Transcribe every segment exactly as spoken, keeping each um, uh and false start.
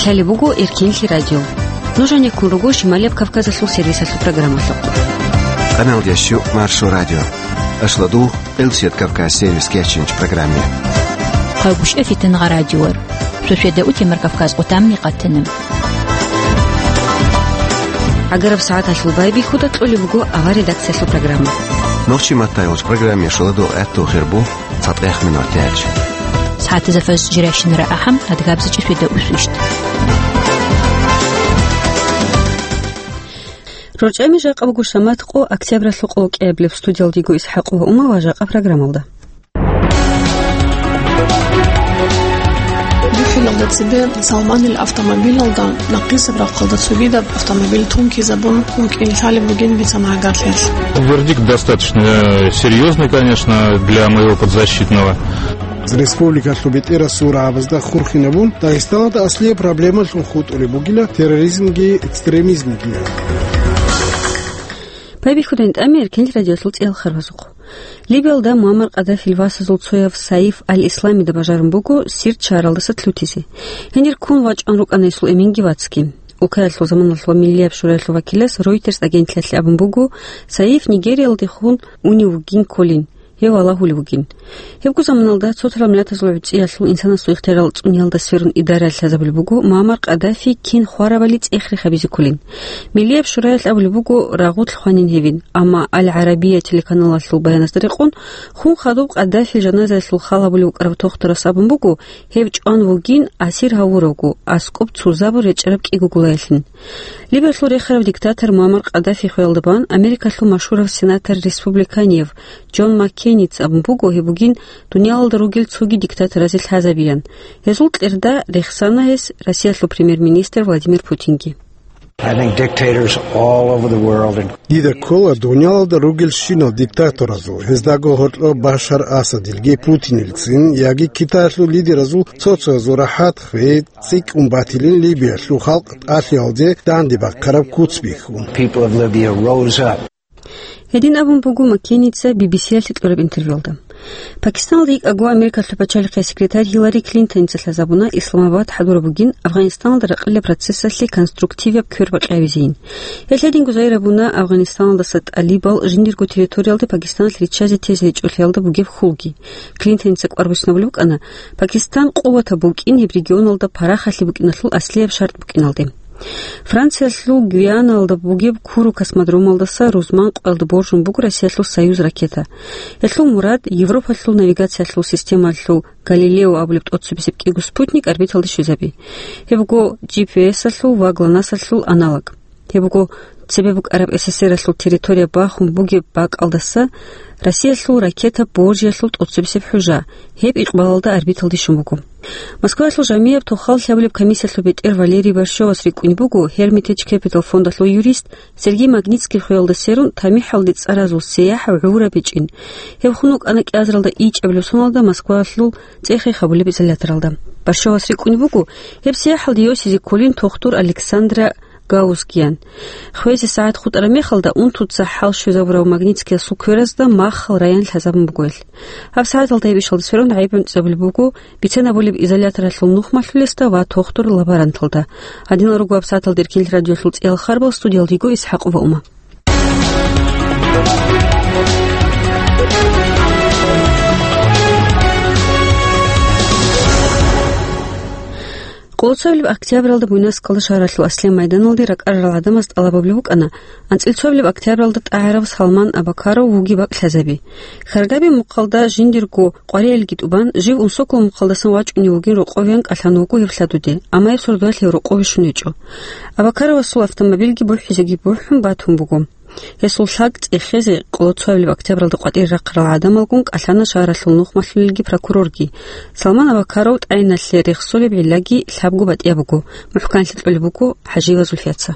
Гьале буго Эркинлъи радио. Нуж гьанеккун руго Шималияб Кавказалъул сервисалъул программалъухъ. Къаналдящу Маршо радио. Ашладу Элсият Кавказ сервис кечинч программе. Хъагушев Фитнагъа радиор. Суседа утемар Кавказ къутамни къатана. Агараб сагӀаталъул байбихьуда кьолеб буго авар редакциялъул программа. Нохчи маттайолч программе шуладу гӀатту хирбу. ЦатӀех минут яч. СагӀатазда фаз жиращинара ахӀам, адгабзачи светда усвищт. РорчӀами жакъа буго шамат къо октябралъул къолокӀиябилеб. Студиялдиго ИсхӀакъ ва Ума ва жакъа программалда. ДухӀилалда цебе Салманил автомобилалда нахъисеб рахъалда цогидаб автомобиль тункизабун вукӀин лъалеб бугин бицана гьагарлъиялъ. Вердикт достаточно, э, серьёзный, конечно, для моего подзащитного. Республикалъул бетӀерасул рагӀабазда хурхинабун, Дагъистаналда аслияб проблемалъун хутӀулеб бугила терроризмги экстремизмги. Байбихьудайин тӀами Эркинлъи радиолъул цӀеял харбазухъ. Либиялда Муаммар Къаддафил васазул цояв Саиф аль-Исламида бажарун буго сирччаралдаса лъутизе. Гьенир ккун вачӀун рукӀана гьесул эменги вацги. Улкаялъул заманалъул ва миллияб шураялъул вакилас Reuters агентлъиялъе абун буго, Саиф Нигериялдехун унев вугин кколин, гьев валагьулев вугин. Гьебго заманалда цо-цо миллатазул гӀуцӀиялъул инсанасул ихтияр цӀуниялда сверун идараялъ лъазабулеб буго Муаммар Къаддафи кин хварабали цӀех-рех гьабизе кколин. Миллияб шураялъ абулеб буго рагъулъ хванин гьевин, амма Аль-ГӀарабия телеканалалъул баяназда рекъон, хун хадуб Къаддафил жаназаялъул хал гьабулев вукӀарав тохтурас абун буго, гьев чӀван вугин асир гьавуравго, аскӀоб цузабун речӀараб кӀиго гулаялъин. Либиялъул рехарав диктатор Муаммар Къаддафи хвеялда бан Америкалъул машгьурав сенатор-республиканияв Джон Маккейница абун буго, гьеб бугин дуниялалда ругел цоги диктаторазе лъазабиян. Гьезул кьерда рехсана гьес Россиялъул премьер-министр Владимир Путинги. I think dictators all over the world, in- Дида ккола дуниялалда ругелщинал диктаторазул, гьездаго гьоркьоб Башар Асадилги Путинилцин яги Китаялъул лидеразул цо-цоязул рахӀат хвей цӀикӀкӀун батилин Либиялъул халкъ тӀалъиялде данде бахъараб куц бихьун. People of Libya rose up. Гьедин абун буго Маккейница Би Би Си-ялъе кьураб интервьюялда. Пакистаналда йикӀаго Америкалъул пачалихъе секретарь Гьиллари Клинтоница лъазабуна Исламабад хӀадураб бугин Афгъанистаналда ракъилаб процессалъе конструктиваб квербакъи гьабизейин. Гьелъ гьединго загьир гьабуна Афгъанистаналдаса тӀалибал жиндирго территориялде Пакистаналъ риччазе тезе гьечӀолъиялда бугеб хьулги. Клинтоница кӀвар буссинабулеб букӀана, Пакистан къуватаб букӀин гьеб регионалда парахалъи букӀиналъул аслияб шартӀ букӀиналде. Франциялъул Гвианалда бугеб Куру космодромалдаса рузман къоялда боржун буго Россиялъул «Союз» ракета. Гьелъул мурад Европалъул навигациялъул системалъул «Галилео» абулеб тӀоцебесеб кӀиго спутник орбиталде щвезаби. Гьеб буго G P S-алъул ва ГЛОНАСС-алъул аналог. Гьеб буго цебе букӀараб С С С Р-алъул территория бахун бугеб бакӀалдаса Россиялъул ракета боржиялъул тӀоцебесеб хӀужа. Гьеб икъбалалда орбиталде щун буго. Москваялъул жамияб тохал лъабулеб комиссиялъул бетӀер Валерий Борщевас рикӀкӀунеб буго Hermitage Capital фондалъул юрист Сергей Магнитскийил хвеялда сверун тамихӀалде цӀаразул сияхӀ гӀураб гьечӀин. Гьев хун вукӀана кӀиазаралда ичӀабилеб соналда Москваялъул цӀех-рех гьабулеб изоляторалда. Борщевас рикӀкӀунеб буго, гьеб сияхӀалде йосизе кколин тохтур Александра Гаусскиян. Хвезе сагӀат хутӀараб мехалда унтуца хӀал щвезабурав Магнитскиясул кверазда махал раян лъазабун буго гьелъ. Гьаб сагӀаталда гьеб ишалда сверун гӀайиб гӀунтӀизабулеб буго бицен гьабулеб изоляторалъул нухмалъулесда ва тохтур-лаборанталда. Гьадинал руго гьаб сагӀаталда Эркинлъи радиолъул цӀеял харбал, студиялда йиго ИсхӀакъ ва Ума. Къолоцоябилеб октябралда Буйнакскалда шагьаралъул аслияб майданалде ракӀарарал гӀадамаз тӀалаб гьабулеб букӀана анцӀила цоябилеб октябралда тӀагӀарав Салман Абакаров вугеб бакӀ лъазаби. Хьаргаби мухъалда жиндирго къваригӀелги тӀубан, жив Унсокол мухъалдасан вачӀунев вугин рокъовеян кӀалъан вуго гьеб лъадуде, амма гьеб сордоялъ гьев рокъове щун гьечӀо. Абакаровасул автомобильги бухӀизеги бухӀун батун буго. Гьесул лъаг цӀехезе къолоцоябилеб октябралда къватӀире рахъарал гӀадамалгун кӀалъана шагьаралъул нухмалъулелги прокурорги. Салман Абакаров тӀагӀиналъе рехсолеб гӀиллаги лъабго батӀияб буго, мухӀканлъи кьолеб буго ХӀажиева Зульфияца.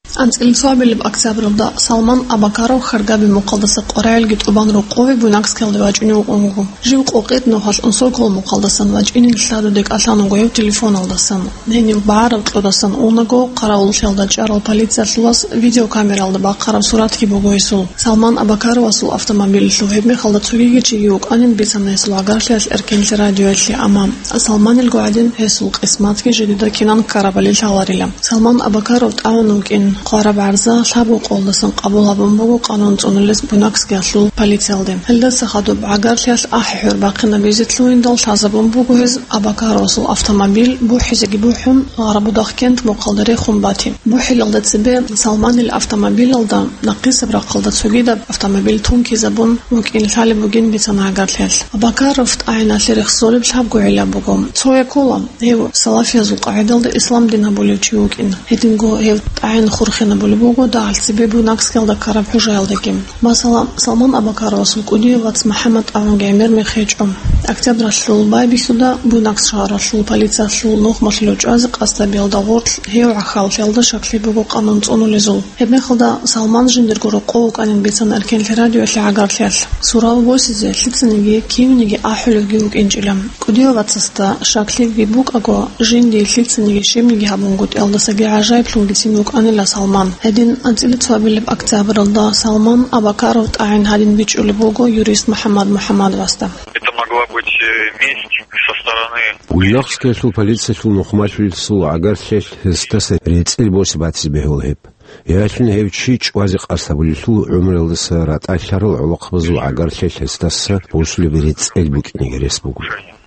АнцӀила цоабилеб октябралда Салман Абакаров Хьаргаби мухъалдаса къваригӀелги тӀубан рокъове Буйнакскиялде вачӀунев вукӀун вуго. Жив къокъид нухалъ Унсокол мухъалдасан вачӀинин лъадуде кӀалъан вуго гьев телефоналдасан. Гьенив багӀараб кьодасан унаго, къаравуллъиялда чӀарал полициялъулас видеокамералда бахъараб суратги буго гьесул. Салман Абакаровасул автомобилялъул гьебмехалда цогиги чиги вукӀанин бицана гьесул гӀагарлъиялъ Эркенлъи радиоялъе, амма Салманилго гӀадин гьесул къисматги жидеда кинан ккарабали лъаларила. Салман Абакаров тӀагӀун вукӀин хъвараб гӀарза лъабго къолдасан къабул гьабун буго къанун цӀунулез Буйнакскиялъул полициялде. Гьелдаса хадуб гӀагарлъиялъ ахӀи-хӀур бахъинабизе лъугьиндал лъазабун буго гьез Абакаровасул автомобиль бухӀизеги бухӀун, Гъарабудахкент мухъалда рехун бати. БухӀилалда цебе Салманил автомобилалда нахъисеб рахъалда цогидаб автомобиль тункизабун вукӀин лъалеб бугин бицана гӀагарлъиялъ. Абакаров тӀагӀиналъе рехсолеб лъабго гӀилла буго. Цояз ккола, гьев салафиязул къагӀидалда ислам дин гьабулев чи вукӀин. Гьединго гьев тӀагӀин хурхинабулеб буго дагьалъ цебе Буйнакскиялда ккараб хӀужаялдаги. Масала, Салман Абакаровасул кӀудияв вац МухӀаммад тӀагӀунги гӀемер мех гьечӀо. Октябралъул байбихьуда Буйнакск шагьаралъул полициялъул нухмалъулев чӀвазе къасд гьабиялда гъорлъ гьев гӀахьаллъиялда щаклъи буго къанун цӀунулезул. Гьебмехалда Салман жиндирго рокъов вукӀанин бицана Эркенлъи радиоялъе гӀагарлъиялъ. Сурав босизе лъицаниги кивниги ахӀулевги вукӀинчӀила. КӀудияв вацасда щаклъиги букӀаго, жиндие лъицаниги щибниги гьабунгутӀиялдасаги гӀажаиблъунгицин вукӀанила Салман. Гьедин анцӀила цоабилеб октябралда Салман Абакаров тӀагӀин гьадин бичӀчӀулеб буго юрист МухӀаммад МухӀаммадовасда. Это могла быть, э, месть со стороны. Буйнакскиялъул полициялъул нухмалъулесул гӀагарлъиялъ гьесдаса рецӀел босе батизе бегьула гьеб. Ялъун гьев чи чӀвазе къасд гьабулелъул гӀумруялдаса ратӀалъарал гӀолохъабазул гӀагарлъиялъ гьесдаса босулеб рецӀел букӀинеги рес буго.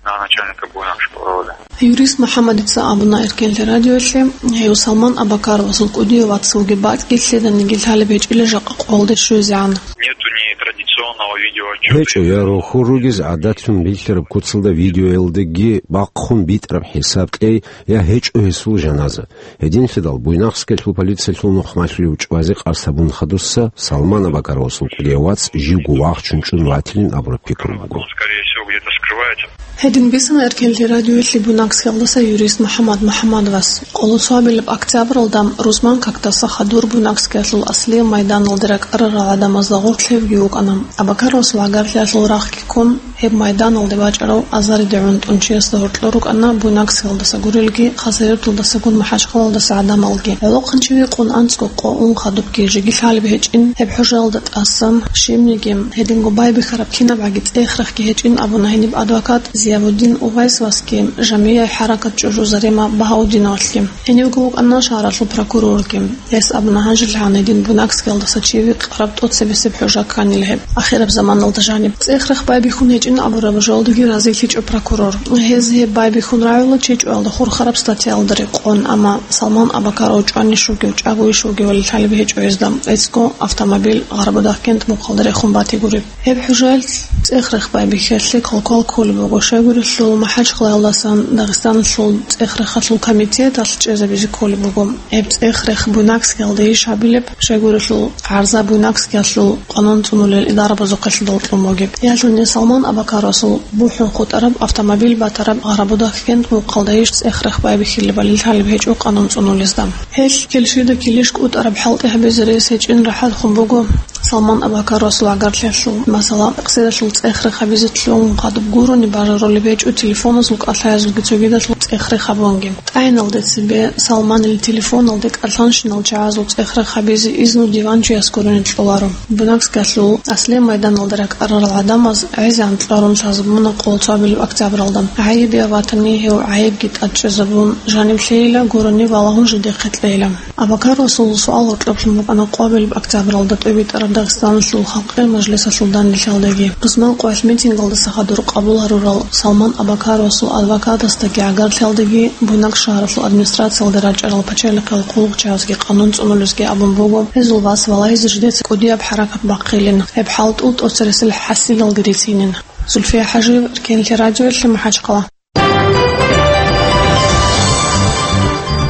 На начальника Буйнакского района. Юрист МухӀаммадица абуна Эркенлъи радиоялъе, гьев Салман Абакаровасул кӀудияв вац вугеб бакӀги лъиданиги лъалеб гьечӀила жакъа къоялде щвезегӀан. Нету ни традиционного видеоотчёта. ГьечӀо, я рохьор ругез гӀадатлъун рилълъараб куцалда видеоялдаги бахъун битӀараб хӀисаб кьей, я гьечӀо гьесул жаназа. Гьединлъидал Буйнакскиялъул полициялъул нухмалъулев чӀвазе къасд гьабун хадусса Салман Абакаровасул кӀудияв вац живго вахчун чӀун ватилин абураб пикру буго. Он, скорее всего, где-то скрывается. Гьедин бицана Эркенлъи радиоялъе Буйнакскиялдаса юрист МухӀаммад МухӀаммадовас. Къоло цоабилеб октябралда рузман какдаса хадур Буйнакскиялъул Аслияб майданалде ракӀарарал гӀадамазда гъорлъ гьевги вукӀана. Абакаровасул гӀагарлъиялъул рахъги ккун, гьеб майданалде вачӀарав азариде гӀунтӀун чиясда гьоркьор рукӀана Буйнакскиялдаса гурелги, Хасавюрталдасагун МахӀачхъалаялдаса гӀадамалги. ГӀолохъанчи вихъун анцӀго къо ун хадубги жеги лъалеб гьечӀин, гьеб хӀужаялда тӀасан щибниги гьединго байбихьараб кинабгӀаги цӀех-рехги гьечӀин абуна гьениб адвокат Зиявуддин Увайсовасги, Жамияй хӀаракат ЧӀужу Зарема Багьаудиновалъги. Гьенивго вукӀана шагьаралъул прокурорги. Гьес абуна, гьанжелъ гьанидин Буйнакскиялдаса чи вихъараб тӀоцебесеб хӀужа кканила гьеб. Ахираб заманалда жаниб цӀех-рех байбихьун гьечӀин абураб жоялдаги разилъичӀо прокурор. Гьез гьеб байбихьун рагӀула чи чӀваялда хурхараб статьяялда рекъон, амма Салман Абакаров чӀванищ вугев, чӀагойищ вугевали лъалеб гьечӀо гьезда, эцӀго автомобиль Гъарабудахкент мухъалда рехун батигуреб. Гьеб хӀужаялъ цӀех-рех байбихьиялъе квалквал кколеб буго, щайгурелъул МахӀачхъалаялдасан Дагъистаналъул цӀех-рехалъул комитеталъ чӀезабизе кколеб буго. Гьеб цӀех-рех Буйнакскиялдайищ гьабилеб, щайгурелъул гӀарза Буйнакскиялъул къанун цӀунулел идарабазухъе лъидал кьун бугеб. Ялъуни Салман Абакаровасул бухӀун хутӀараб автомобиль батараб Гъарабудахкент мухъалдайищ цӀех-рех байбихьилебали лъалеб гьечӀо къанун цӀунулезда. Гьелъ килщида килищ кӀутӀараб хӀалтӀи гьабизе рес гьечӀин рахӀат хун буго Салман Абакаровасул гӀагарлъиялъул. Масала, къисидалъул цӀех-рех гьабизе лъугӀун хадуб гурони бажарулеб гьечӀо телефоназул кӀалъаязулги цогидалъул цӀех-рех гьабунги. ТӀагӀиналде цебе Салманил телефоналде кӀалъанщинал чагӀазул цӀех-рех гьабизе изну диван чияс гурони кьоларо. Буйнакскиялъул Аслияб майданалда ракӀарарал гӀадамаз гӀезегӀан кьарун лъазабуна къоло цоабилеб октябралда. ГӀайибе ватани гьев гӀайибги тӀадчӀезабун, жанив лъейила, гурони валагьун жидехъе кьейила. Абакаровасул суал гьоркьоблъун букӀана къоабилеб октябралда тӀобитӀараб Дагъистаналъул Халкъ Мажлисалъул данделъиялдаги. Рузман къоялъ митингалдаса хадур къабул гьарурал Салман Абакаровасул адвокатасдаги гӀагарлъиялдаги Буйнакск шагьаралъул администрациялда рачӀарал пачалихъал хъулухъчагӀазги къанун цӀунулезги абун буго, гьезул вас валагьизе жидеца кӀудияб хӀаракат бахъилин, гьеб хӀалтӀул тӀоцересел хӀасилалги рицинин. Зульфия ХӀажиева, Эркенлъи радиоялъе, МахӀачхъала.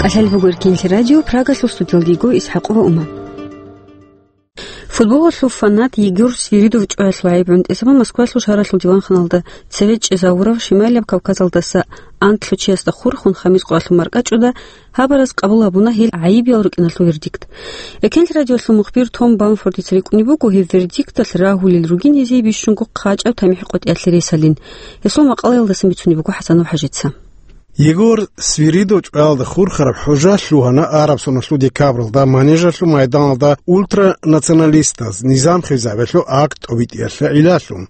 КӀалъалеб буго Эркенлъи радио, Прагалъул студиялда йиго ИсхӀакъова Ума. Футболалъул фанат Егор Свиридов чӀваялъул гӀайиб гӀунтӀизабун Москвалъул шагьаралъул диванханалда цеве чӀезавурав Шимайлаб Кавказалдаса анлъго чиясда хурхун, хамис къоялъул маркӀачӀуда гьабараз къабул гьабуна гьел гӀайибиял рукӀиналъул вердикт. Эркенлъи радиолъул мухбир Том Бамфордица рикӀкӀунеб буго, гьеб вердикталъ рагьулел ругин гьезие бищунго хъачӀаб тамихӀ къотӀиялъе рес гьалин. Гьесул макъалаялдасан бицунеб буго ХӀасанов ХӀажица. Егор Свиридов чӀваялда хурхараб хӀужа лъугьана араб соналъул декабралда манежалъул майданалда ультранационалистаз низам хвезабиялъул акт тӀобитӀиялъе гӀиллалъун.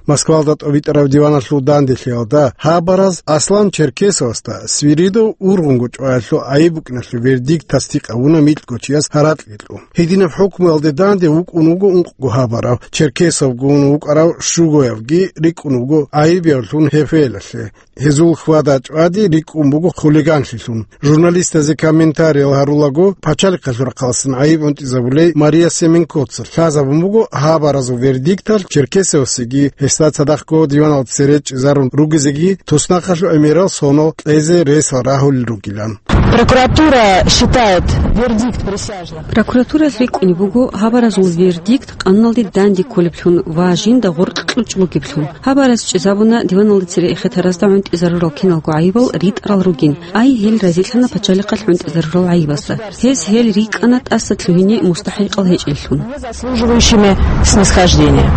Москвалда тӀобитӀараб диваналъул данделъиялда гьабараз Аслан Черкесовасда Свиридов ургъунго чӀваялъул гӀайиб букӀиналъул вердикт тасдикъ гьабуна микьго чияс гьаракьги кьун. Гьединаб хӀукмуялде данде вукӀун вуго ункъго гьабарав, Черкесовгун вукӀарав Шугоевги рикӀкӀун вуго гӀайибиявлъун гьефелалъе. Гьезул хьвада-чӀвади рикӀкӀун буго хулиганлъилъун. Журналистазе комментариял гьарулаго, пачалихъалъул рахъалъан гӀайиб гӀунтӀизабулей Мария Семенкоца лъазабун буго гьабаразул вердикталъ Черкесовасеги, гьесда цадахъго диваналда цере чӀезарун ругезеги туснахъалъул гӀемерал соналъ кьезе ресал рагьулел ругилан. Прокуратура считает вердикт присяжных. Прокуратуралъ рикӀкӀунеб буго гьабаразул вердикт къануналде данде кколеблъун ва жинда гъоркь кьучӀ бугеблъун. Гьабараз чӀезабуна диваналда цере эхетаразда гӀунтӀизарурал киналго гӀайибал ритӀарал ругин, ай гьел разилъана пачалихъалъ гӀунтӀизарурал гӀайибазда. Гьез гьел рикӀкӀана тӀаса лъугьине мустахӀикъал гьечӀеллъун. Заслуживающими снисхождения.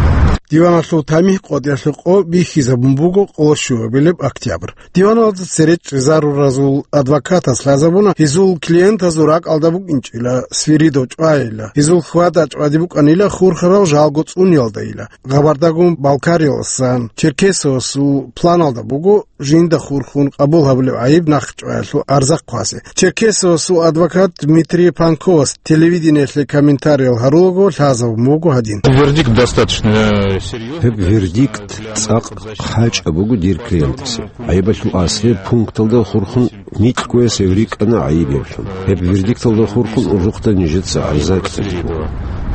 Диваналъул тамихӀ къотӀиялъул къо бихьизабун буго къоло щуабилеб октябрь. Диваналда цере чӀезаруразул адвокатас лъазабуна, гьезул клиентазул ракӀалда букӀинчӀила Свиридов чӀвайила, гьезул хьвада-чӀвади букӀанила хурхарал жалго цӀуниялдайила. Хабардагун Балкарияласан Черкесовасул планалда буго жинда хурхун къабул гьабулеб гӀайиб нахъчӀваялъул арзахъ хъвазе. Черкесовасул адвокат Дмитрий Панковас телевидениелъе комментариял гьарулаго лъазабун буго гьадин. Вердикт достаточно, э, серьёзный. Гьеб вердикт цӀакъ хъачӀаб буго дир клиентасе. ГӀайибалъул аслияб пункталда хурхун микьгояс гьев рикӀкӀана гӀайиб гьеб. Гьеб вердикталда хурхун урухъда нижеца гӀарза кьезе.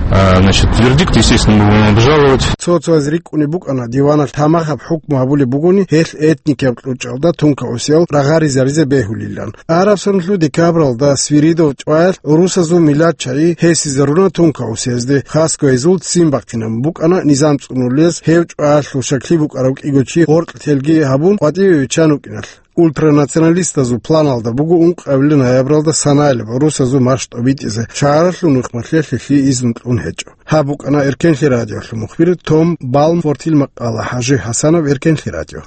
А, значит, вердикт, естественно, мы будем обжаловать. Цо-цояз рикӀкӀунеб букӀана, диваналъ тамахаб хӀукму гьабулеб бугони, гьелъ этникияб кьучӀалда тункаусиял рагъаризаризе бегьулилан. Араб соналъул декабралда Свиридов чӀваялъ русазул миллатчагӀи гьесизаруна тункаусиязде, хасго гьезул ццин бахъинабун букӀана низам цӀунулез, гьев чӀваялъул щаклъи букӀарав кӀиго чи гъоркь телги гьабун къватӀиве виччан вукӀиналъ. Ультранационалистазул планалда буго ункъабилеб ноябралда санаялъ гӀурусазул марш тӀобитӀизе, шагьаралъул нухмалъе лъилъие изну кьун гьечӀо. Гьаб букӀана Эркенлъи радиолъул мухбир Том Балмфортил макъала. ХӀажи ХӀасанов, Эркенлъи радио.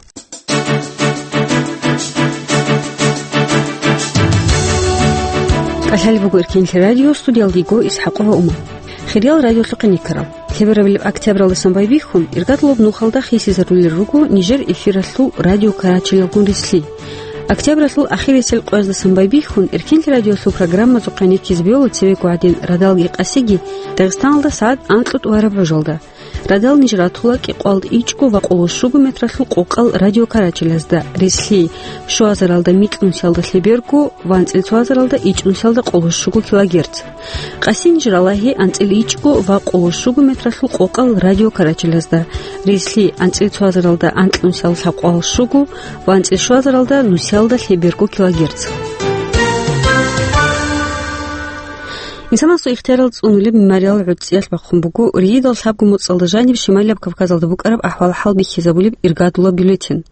КӀалъалеб буго Эркенлъи радио, студиялда йиго ИсхӀакъова Умар. Хириял радиолъухъе никарал. Лъеберабилеб октябралдасан байбихьун, иргадулаб нухалда хисизарулел руго нижер эфиралъул радио карачелалгун рилълъи. Октябралъул ахирисел къояздасан байбихьун, Эркенлъи радиолъул программазухъе никизе бегьула цевего гӀадин радалги къасиги Дагъистаналда сагӀат анкьго тӀураб гӀужалда. Радал ниж ратула кӀикъоялда ичӀго ва къоло щуго метралъул къокъал радиокарачелазда, рилълъи щуазаралда микьнусиялда лъеберго ва анцӀила цоазаралда ичӀнусиялда къоло щуго килогерц. Къасин ниж ралагьи анцӀила ичӀго ва къоло щуго метралъул къокъал радиокарачелазда, рилълъи анцӀила цоазаралда анкьнусиялда лъабкъоялда щуго ва анцӀила щуазаралда нусиялда лъеберго килогерц. Инсанасул ихтиярал цӀунулеб мемориал гӀуцӀиялъ бахъун буго, ригьидал лъабго моцӀалда жаниб Шималияб Кавказалда букӀараб ахӀвал-хӀал бихьизабулеб иргадулаб бюллетень.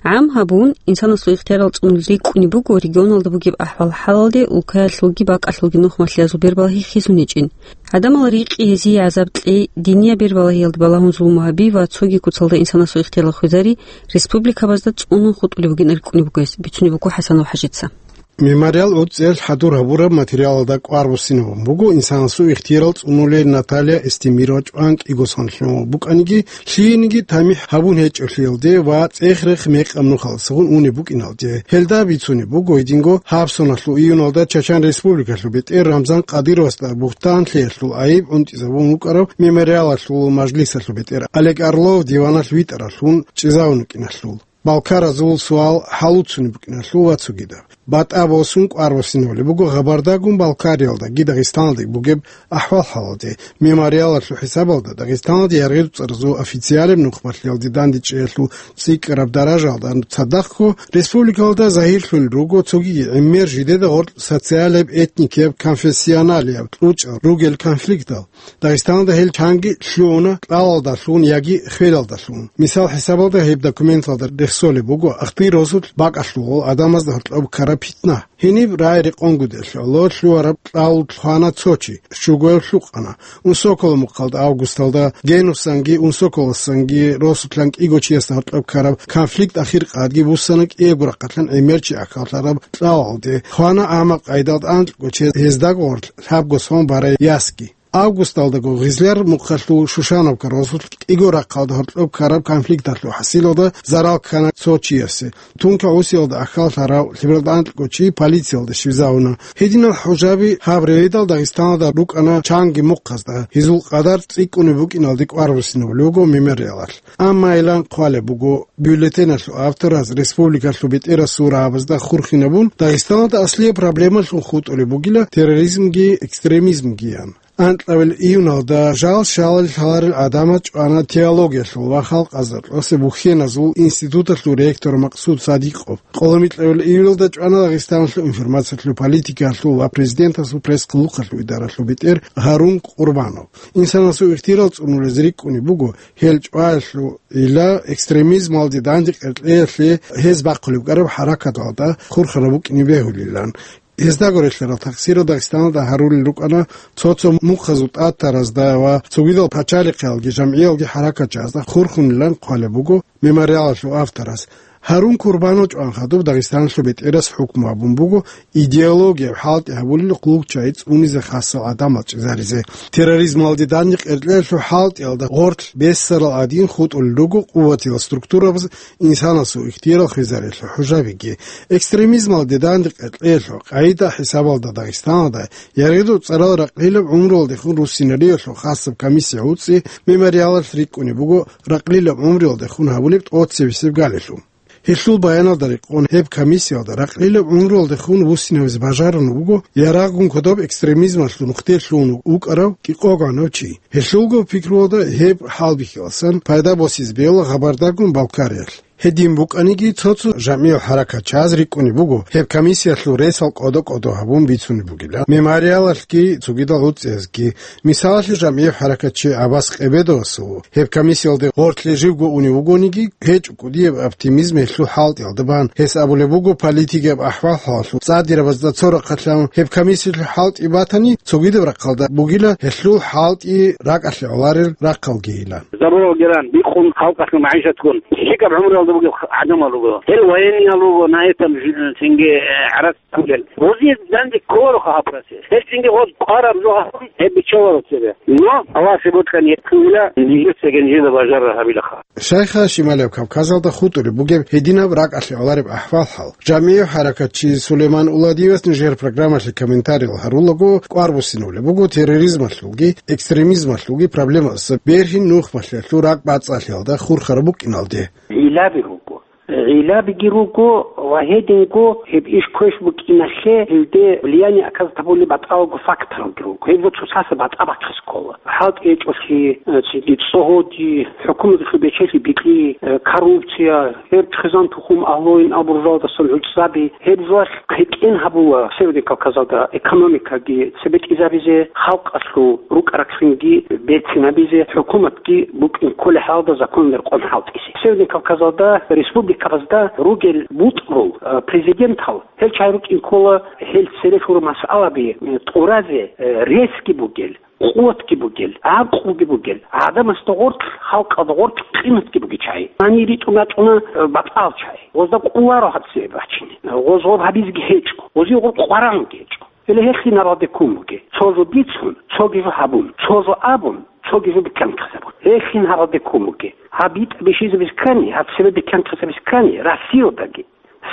ГӀам гьабун, инсанасул ихтиярал цӀунулел рикӀкӀунеб буго регионалда бугеб ахӀвал-хӀалалде, улкаялъулги бакӀалъулги нухмалъиязул бербалагьи хисун гьечӀин. ГӀадамал рикъи, гьезие гӀазаб кьей, динияб бербалагьиялде балагьун зулму гьаби ва цоги куцалда инсанасул ихтиярал хвезари республикабазда цӀунун хутӀулеб бугин рикӀкӀунеб бугес бицунеб буго ХӀасанов ХӀажица. Мемориал гӀуцӀиялъ хӀадур гьабураб материалалда кӀвар буссинабун буго инсанасул ихтиярал цӀунулей Наталья Эстемирова чӀван кӀиго сон лъун букӀаниги, лъиениги тамихӀ гьабун гьечӀолъиялде ва цӀех-рех мекъаб нухалдасагун унеб букӀиналде. Гьелда бицунеб буго гьединго гьаб соналъул июналда Чачан Республикалъул бетӀер Рамзан Кадыровасда бугьтанлъиялъул гӀайиб гӀунтӀизабун вукӀарав мемориалалъул мажлисалъул бетӀер Олег Орлов диваналъ витӀаралъун чӀезавун вукӀиналъул. Балкаразул суал хӀалуцунеб букӀиналъул ва цогидаб. БатӀа босун кӀвар буссинабулеб буго Гъабардагун Балкариялдаги Дагъистаналдаги бугеб ахӀвал-хӀалалде. Мемориалалъул хӀисабалда Дагъистаналде яргъи-дуцӀаразул официалеб нухмалъиялде дандечӀеялъул цӀикӀкӀараб даражаялда цадахъго республикалда загьирлъун руго цогиги гӀемер жидеда гъоркь социалияб, этникияб, конфессионалияб кьучӀал ругел конфликтал. Дагъистаналда гьел чанги лъугьуна кьалалдалъун яги хвелалдалъун. Мисал хӀисабалда, гьеб документалда рехс Цолеб буго ахтир росулъ бакӀалъулгъул адамазда гьоркьоб ккараб питна. Гьениб рагӀи рекъонгутӀелъ гӀоло лъугьараб кьал хвана цо чи, щуго гьев лъукъана. Унсоколо мухъалда августалда Генусанги Унсоколосанги росулъан кӀиго чиясда гьоркьоб ккараб конфликт ахир къадги буссана кӀиего рахъалъан гӀемер чи ахьаллъараб кьалалде. Хвана гӀамаб къайдалда анкьго чи, гьездаго гъорлъ лъабго сон барай ясги. Августалдаго Гъизляр мухъалъул Шушановка росулъ кӀиго рахъалда гьоркьоб ккараб конфликталъул хӀасилалда зарал ккана цо чиясе. Тунка гӀусиялда ахьаллъарав лъебералда анкьго чи полициялда щвезавуна. Гьединал хӀужаби гьаб рейдал Дагъистаналда рукӀана чанги мухъазда, гьезул къадар цӀикӀкӀунеб букӀиналде кӀвар буссинабулеб буго мемориалалъ. Амма илан хъвалеб буго, бюллетеналъул автораз республикалъул бетӀерасул рагӀабазда хурхинабун, Дагъистаналда аслияб проблемалъун хутӀулеб бугила терроризмги экстремизмгиян. Анкьабил июналда жал-шалал лъаларел гӀадамал чӀвана теологиялъул ва халкъазда кьосе бухьеназул институталъул ректор Максуд Садикъов. Къоломикьабил июлалда чӀвана Дагъистаналъул информациялъул политикаялъул ва президентасул пресс-хъулухъалъул идаралъул бетӀер Гьарун Къурбанов. Инсанасул ихтирал цӀунулез рикӀкӀунеб буго, гьел чӀваялъул ила экстремизмалде данде кьеркьеялъе гьез бахъулеб кӀараб хӀаракаталда хурхараб букӀине бегьулилан. Гьездаго релълъарал такъсирал Дагъистаналда гьарулел рукӀана цо-цо мухъазул тӀатаразда ва цогидал пачалихъиялги жамгӀиялги хӀаракатчиязда хурхунилан хъвалеб буго мемориалалъул авторас. Гьарун Курбанов чӀван хадуб Дагъистаналъул бетӀерас хӀукму гьабун буго идеологияб хӀалтӀи гьабулел къуллукъчагӀи цӀунизе хасал гӀадамал чӀезаризе. Терроризмалде данде кьеркьеялъул хӀалтӀиялда гъорлъ бессарал гӀадин хутӀулел руго къуватиял структурабаз инсанасул ихтиярал хвезариялъул хӀужабиги. Экстремизмалде данде кьеркьеялъул къагӀида хӀисабалда Дагъистаналда яргъидул цӀарал ракълилаб гӀумруялдехун руссинариялъул хасаб комиссия гьуцӀи мемориалалъ рикӀкӀунеб буго ракълилаб гӀумруялдехун гьабулеб тӀоцебесеб галилъун. Гьелъул баяналда рекъон гьеб комиссиялда ракълилаб гӀумруялдехун вуссинавизе бажарун вуго ярагъгун кодоб экстремизмалъул нухде лъугьун вукӀарав кӀикъогӀанав чи. Гьелъулго пикруялда гьеб хӀалбихьиласан пайда босизе бегьула хабардагун Балкариялъ. Гьедин букӀаниги, цо-цо жамгӀиял хӀаракатчияз рикӀкӀунеб буго гьеб комиссиялъул ресал кӀодо-кӀодо гьабун бицунеб бугила мемориалалъги цогидал гьуцӀиязги. Мисалалъе, жамгӀияв хӀаракатчи Аббас Къебедовасул гьеб комиссиялде гъорлъе живго унев вугониги, гьечӀо кӀудияб оптимизм гьелъул хӀалтӀиялда бан. Гьес абулеб буго, политикияб ахӀвал-хӀалалъул цӀадирабазда цо рахъалъан гьеб комиссиялъул хӀалтӀи батани, цогидаб рахъалда бугила гьелъул хӀалтӀи ракӀалъе гӀоларел рахъалгийилан. Забурал геран бикъун халкъалъул магӀишатгун лъикӀаб гӀумруялда бугеб гӀадамал руго. Гьел военныйал руго, на этом ж-, цинги, э, гӀарац Гьезие данде кколароха гьаб процесс. Гьелъинги гъоз къвараб жо гьабун, гьеб биччаларо цебе. Но Аллагьасе бокьани гьеб ккунила, нижеца гьанжеда бажарар гьабилаха. Шайха Шималияб Кавказалда хутӀулеб бугеб гьединаб ракӀалъе гӀолареб ахӀвал-хӀал. ЖамгӀияв хӀаракатчи Сулейман Уладиевас нижер программалъе комментариял гьарулего, кӀвар буссинулеб буго терроризмалъулги экстремизмалъулги проблемаялдаса бергьин нухмалъиялъул ракӀбацӀцӀалъиялда хурхараб букӀиналде. Гьилаби руго. Гьилабиги руго ва гьединго гьеб иш квеш букӀиналъе гьелде влияние оказать гьабулеб батӀалго факторалги руго. Гьеб жо цоцазда батӀа бахъизе ккола. ХӀалтӀи гьечӀолъи, э, цинги цӀогьоди, хӀукуматалъул бечелъи бикьи, э, коррупция, гьеб хъизан-тухум, агьлуйин абуржалдасан гӀуцӀаби, гьеб жоялъ хъетӀен гьабула Северный Кавказалда экономикаги цебетӀизабизе, халкъалъул рукӀа-рахъинги берцинабизе, хӀукуматги букӀин кколеб хӀалалда законалда рекъон хӀалтӀизе. Северный Кавказалда республикабазда ругел бутӀрул, э, президентал, гьел чагӀи рукӀин ккола, гьел цере лъурал масъалаби, э, тӀуразе, э, ресги бугел, къуватги бугел, гӀакълуги бугел, гӀадамасда гъорлъ, халкъалда гъорлъ къиматги бугел чагӀи. Гьанир ритӀун рачӀуна, э, батӀал чагӀи. Гъозда къуларо гьаб цебе бачине. Гъоз гъоб гьабизеги гьечӀо. Гъозие гъоб къваригӀунги гьечӀо. Гьеле гьелъин гьабалде ккун бугеб. Цо жо бицун, цоги жо гьабун, цоги жо абун, цоги жо бетӀерхъизабун. Гьелъин гьабалде ккун бугеб. Гьаб битӀа бихьизабиз ккани, гьаб цебе бетӀерхъизабиз ккани, Россиялдаги,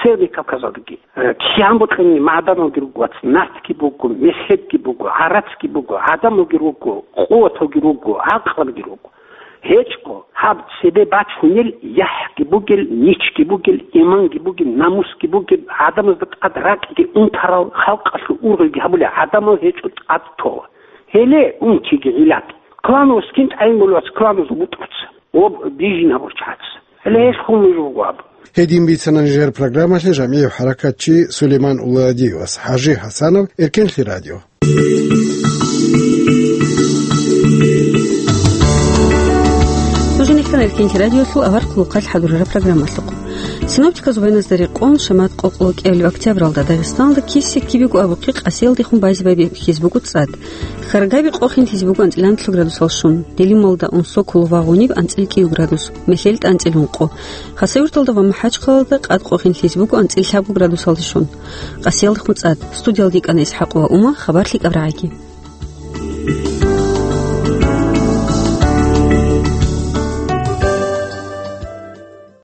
Северный Кавказалдаги, э, кигӀан бокьани магӀаданалги руго, вац, нартги буго, мезгьебги буго, гӀарацги буго, гӀадамалги руго, къуваталги руго, гӀакълабиги руго. ГьечӀо, гьаб цебе бачунел яхӀги бугел, ничги бугел, иманги бугел, намусги бугел, гӀадамазда тӀад ракӀги унтарал, халкъалъул ургъелги гьабулел гӀадамал гьечӀо тӀад тола. Гьеле унтиги гӀилат. Клановас кин тӀагӀин болевац, клановас бутӀруц. Об бижин гьабурчац. Гьеле гьелъ хун нуж буго аб. Гьедин бицана нижер программалъе жамгӀияв хӀаракатчи Сулейман Уладиевас. ХӀажи ХӀасанов, Эркенлъи радио. Нуж нехъан Эркенлъи радиолъул авар хъулухъалъ хӀадурараб программалъухъ. Синоптиказул гьеназда рекъон, шамат къокълокӀиабилеб октябралда Дагъистаналда киси-кибего абухъе къасиялдехун байзе-байбихьизе буго цӀад. Хьаргаби къохин лъизе буго анцӀила анлъго градусалде щун, Делималда, Унсоколо ва Гъуниб анцӀила кӀиго градус, МехьелтӀа анцӀила ункъо. Хасавюрталда ва МахӀачхъалалда къад къохин лъизе буго анцӀила лъабго градусалде щун. Къасиялдехун цӀад. Студиялда йикӀана ИсхӀакъова Ума, хабар лъикӀаб рагӀаги.